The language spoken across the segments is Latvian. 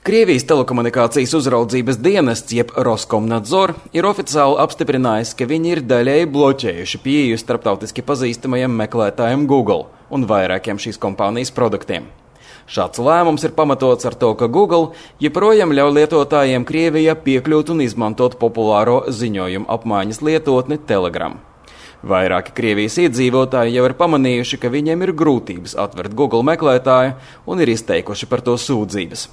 Krievijas telekomunikācijas uzraudzības dienests, jeb Roskomnadzor, ir oficiāli apstiprinājis, ka viņi ir daļēji bloķējuši pieeju starptautiski pazīstamajam meklētājam Google un vairākiem šīs kompānijas produktiem. Šāds lēmums ir pamatots ar to, ka Google joprojām ļauj lietotājiem Krievijā piekļūt un izmantot populāro ziņojumu apmaiņas lietotni Telegram. Vairāki Krievijas iedzīvotāji jau ir pamanījuši, ka viņiem ir grūtības atvert Google meklētāju un ir izteikuši par to sūdzības.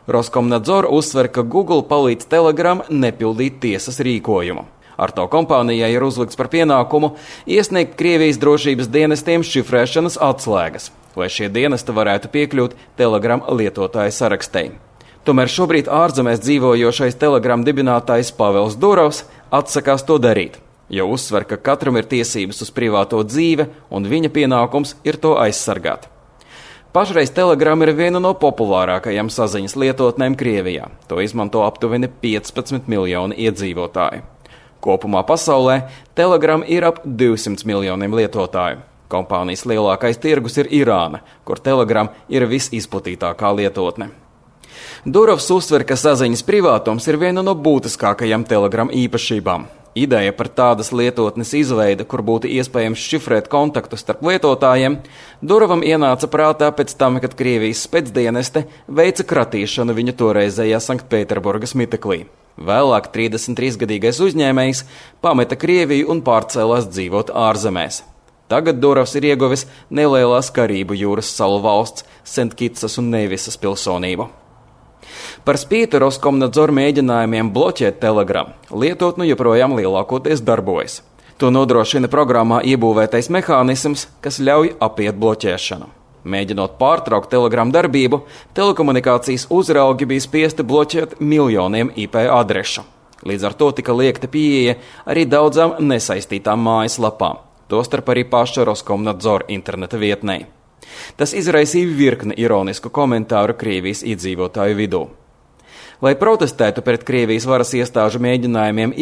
Roskomnadzor uzsver, ka Google palīdz Telegram nepildīt tiesas rīkojumu. Ar to kompānijai ir uzlikts par pienākumu iesniegt Krievijas drošības dienestiem šifrēšanas atslēgas, lai šie dienesti varētu piekļūt Telegram lietotāju sarakstei. Tomēr šobrīd ārzemēs dzīvojošais Telegram dibinātājs Pavels Durovs atsakās to darīt, jo uzsver, ka katram ir tiesības uz privāto dzīve un viņa pienākums ir to aizsargāt. Pašreiz Telegram ir viena no populārākajām saziņas lietotnēm Krievijā. To izmanto aptuveni 15 miljoni iedzīvotāju. Kopumā pasaulē Telegram ir ap 200 miljoniem lietotāju. Kompānijas lielākais tirgus ir Irāna, kur Telegram ir visizplatītākā lietotne. Durovs uzsver, ka saziņas privātums ir viena no būtiskākajām Telegram īpašībām. Ideja par tādas lietotnes izveidi, kur būtu iespējams šifrēt kontaktus starp lietotājiem, Durovam ienāca prātā pēc tam, kad Krievijas specdieneste veica kratīšanu viņa toreizējā Sanktpēterburgas miteklī. Vēlāk 33-gadīgais uzņēmējs pameta Krieviju un pārcēlās dzīvot ārzemēs. Tagad Durovs ir ieguvis nelielās Karību jūras salu valsts Sentkitsas un Nevisas pilsonību. Par spīti Roskomnadzor mēģinājumiem bloķēt Telegram, lietotne joprojām lielākoties darbojas. To nodrošina programmā iebūvētais mehānisms, kas ļauj apiet bloķēšanu. Mēģinot pārtraukt Telegram darbību, telekomunikācijas uzraugi bija spiesti bloķēt miljoniem IP adrešu. Līdz ar to tika liekta pieeja arī daudzām nesaistītām mājaslapām, tostarp arī paša Roskomnadzor interneta vietnei. Tas izraisīja virkni ironisku komentāru Krievijas iedzīvotāju vidū. Lai protestētu pret Krievijas varas iestāžu mēģinājumiem